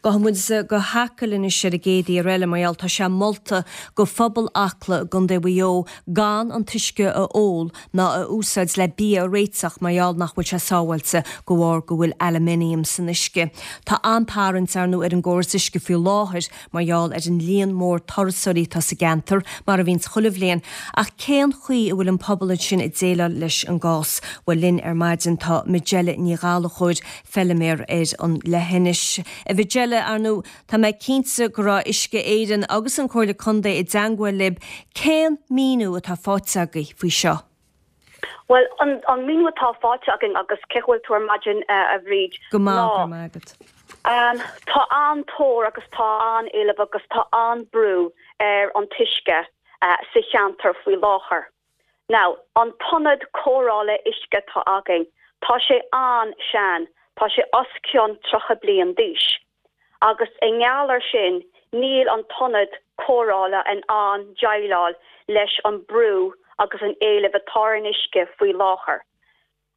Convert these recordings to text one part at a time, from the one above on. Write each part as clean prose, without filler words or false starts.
Gabhfaidh muid go hAcaill anois ar an gcéad mhír eile mar gheall tá sé molta go phobal Acla i gContae Mhaigh Eo gan an t-uisce a ól ná a úsáid le bia a réiteach mar gheall nach bhfuil sé sábháilte de bharr go bhfuil aluminium san uisce. Tá an-tarraingt ar ndóigh ar an gcóras uisce faoi láthair mar gheall ar an líon mór turasóirí atá sa gceantar, mar a bhíonns chuile bhliain. Ach cén chaoi a bhfuil an pobal ansin ag déileáil leis an gcás? Bhuel linn ar maidin tá Majella Ní Ghallchóir, feiliméar ar an leithinis. A Mhajella, ar ndóigh, tá mé cinnte go raibh Uisce Éireann agus an Comhairle Contae i dteangmháil libh. Cén míniú atá faighte agaibh faoi seo? Bhuel, an míniú atá faighte againn, agus cén chaoi a bhfuil tú ar maidin, a Bhríd, Go maith, go raibh maith agat. Tá an-tóir agus tá an-éileamh agus tá an-brú ar an t-uisce sa cheantar faoi láthair. Now, an t-ionad cóireála uisce atá againn, tá sé an-sean, tá sé os cionn 30 bliain d'aois. Agus i ngeall ar sin, níl an t-ionad cóireála in ann déileáil leis an brú agus an éileamh atá ar an uisce faoi láthair.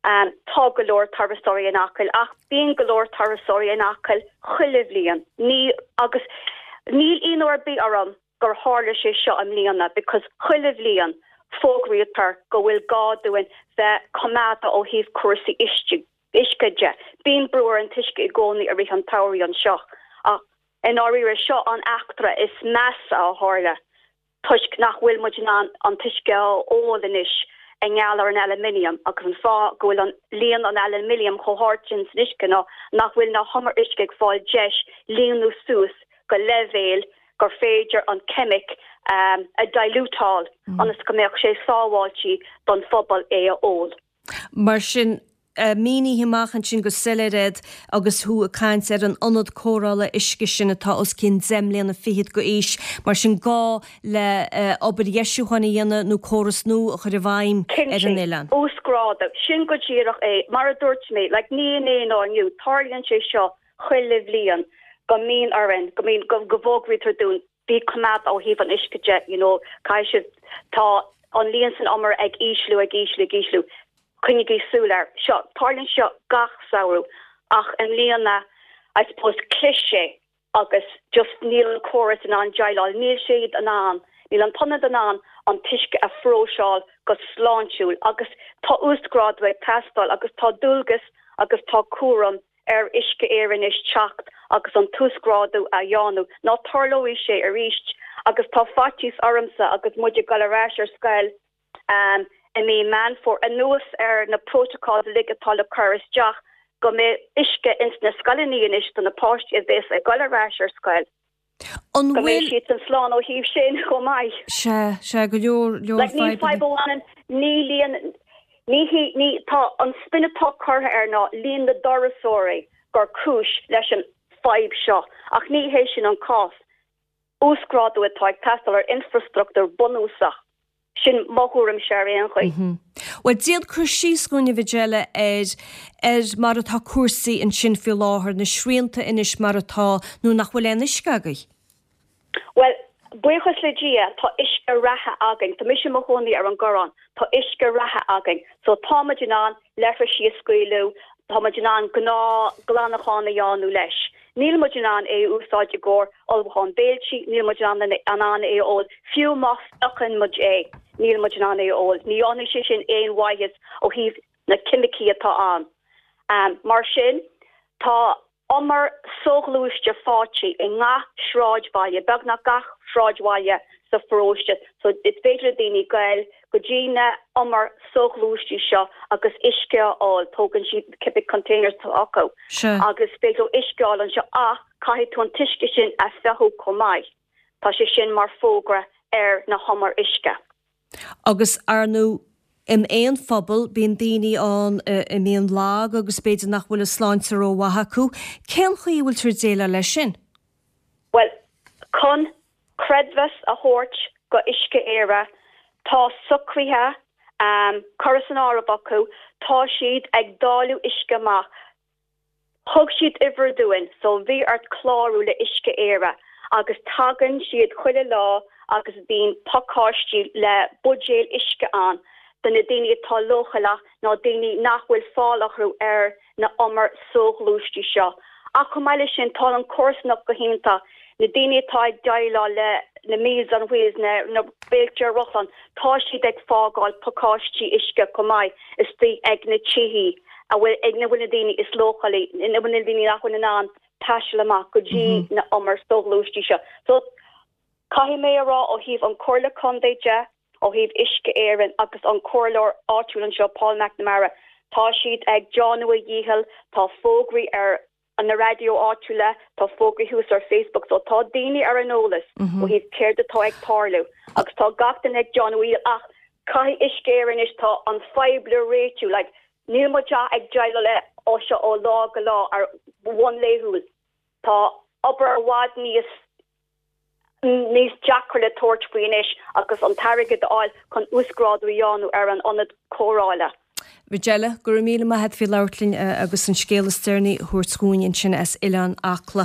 Tá go leor turasóirí in Acaill ach bíonn go leor turasóirí in Acaill chuile bhliain. Ní, agus níl ionadh ar bith orm gur tharla sé seo i mbliana because chuile bhliain fógraítear go bhfuil gá dúinn bheith coimeádach ó thaobh cúrsaí uisce. uisce de. Bíonn brú ar an t-uisce i gcónaí i rith an tsamhraidh anseo ach i ndáiríre seo an eachtra is measa a tharla toisc nach bhfuil muid in ann an t-uisce a ól anois i ngeall ar an aluminium agus an fáth go bhfuil an líon an aluminium chomh hard sin san uisce ná nach bhfuil na humair uisce ag fáil deis líonadh suas go leibhéal gur féidir an ceimic a diluteáil ionas go mbeadh sé sábháilte don phobal é a ól. Mar sin, mínigh amach ansin go soiléir iad agus thú ag caint ar an ionad cóireála uisce sin atá os cionn deich mbliana fichead go aois. Mar sin, gá le obair dheisiúcháin a dhéanamh nó córas nua a chur i bhfeidhm ar an oileán. Cinnte. Uasghrádú. Sin go díreach é. Mar a dúirt mé, like, ní inné ná inniu, tarlaíonn sé seo chuile bhliain go mbíonn orainn, go mbíonn, go bhfógraítear dúinn, bí coimeádach ó thaobh an uisce de, you know, caithfidh sibh, tá an líon san umar ag ísliú, ag ísliú, ag ísliú, coinnigí súil air. Seo, tarlaíonn seo gach samhradh ach i mbliana, I suppose, chlis sé agus just níl an córas in ann déileáil, níl siad in ann, níl an t-ionad in ann an t-uisce a phróiseáil go sláintiúil agus tá uasghrádú ag teastáil agus tá dualgas agus tá cúram ar Uisce Éireann anois teacht agus an t-uasghrádú a dhéanamh, nó tarlóidh sé arís agus tá faitíos ormsa agus muid ag dul ar ais ar scoil i mí Meán Fómhair, anuas ar na protocols uilig atá le cur isteach, go mbeidh uisce ins na scoileanna anois do na páistí a bhéas ag dul ar ais ar scoil. An Go mbeidh bhfuil. siadsan slán ó thaobh sin chomh maith. Sea, sea, go leor, leor Like, ní fadhbanna. fadhb a bhaineann, ní líon, ní hí, ní, tá an spin atá curtha air ná líon na dturasóirí gur cúis leis an fadhb seo, ach ní hé sin an cás. Uasghrádú atá ag teastáil ar infreastruchtúr bunúsach. Sin mo thuairimse ar aon chaoi. Bhuel, déan cur síos dhúinn, a Mhajella, ar ar mar atá cúrsaí ansin faoi láthair, na srianta anois mar atá, nuair nach bhfuil aon uisce agaibh. Bhuel, buíochas le Dia, tá uisce reatha againn. Tá mise i mo chónaí ar an gCoireán. Tá uisce reatha againn. So tá muid in ann leithrisí a scaoileadh, tá muid in ann gnáth glanachán a dhéanamh leis. Níl muid in ann é a úsáid i gcomhair ullmhúchán béiltí, níl muid in ann é a ól, fiú má fhiuchann muid é, níl muid in ann é a ól. Ní dhéanfaidh sé sin aon mhaitheas ó thaobh na ceimicí atá ann. Mar sin, tá umar soghluaiste faighte i ngach sráidbhaile, beagnach gach sráidbhaile sa pharóiste, so is féidir le daoine goil go dtí na umair soghluaistí seo agus uisce a fháil, tógann siad cibé containers atá acu agus is féidir leo uisce a fháil anseo ach caithfidh tú an t-uisce sin a fhiuchadh chomh maith. Tá sé sin mar fógra ar na humair uisce. Agus ar ndóigh in aon phobal bíonn daoine ann a mbíonn lag agus b'fhéidir nach bhfuil a sláinte rómhaith acu. Cén chaoi a bhfuiltear ag déileáil leis sin? Bhuel, chun creidmheas a thabhairt go Uisce Éire, tá socruithe curtha san áireamh acu, tá siad ag dáileadh uisce amach. Thug siad uimhir dúinn so bhí ort clárú le Uisce Éire agus tagann siad chuile lá agus bíonn pacáistí le buidéil uisce ann do na daoine atá leochaileach nó daoine nach bhfuil fáil orthu ar na umair soghluaistí seo. Ach chomh maith leis sin, tá an comharsanacht go hiontach. Na daoine atá ag déileáil le na Meals on Wheels, na na béilte ar rothláin, tá siad ag fágáil pacáistí uisce chomh maith istigh ag na tithe a bhfuil ina bhfuil na daoine is leochailí, ina bhfuil na daoine nach bhfuil in ann taisteal amach go dtí na humair soghluaistí seo. So, caithfidh mé a rá ó thaobh an Chomhairle Contae de, ó thaobh Uisce Éireann agus an comhairleoir áitiúil anseo, Paul McNamara, tá siad ag déanamh a dhícheall, tá fógraí ar na raidió áitiúla, tá fógraí thuas ar Facebook, so tá daoine ar an eolas ó thaobh céard atá ag tarlú agus tá gach duine ag déanamh a dhícheall ach caithfidh Uisce Éireann anois, tá an fadhb le réitiú, like níl muid ach ag déileáil le seo ó lá go lá ar bhonn laethúil, tá obair i bhfad níos níos deacra le tabhairt faoi anois agus an t-airgead a fháil chun uasghrádú a dhéanamh ar an ionad cóireála. Majella, go raibh míle maith a't faoi labhairt linn agus an scéal is deireanaí a thabhairt dhúinn ansin as Oileán Acla.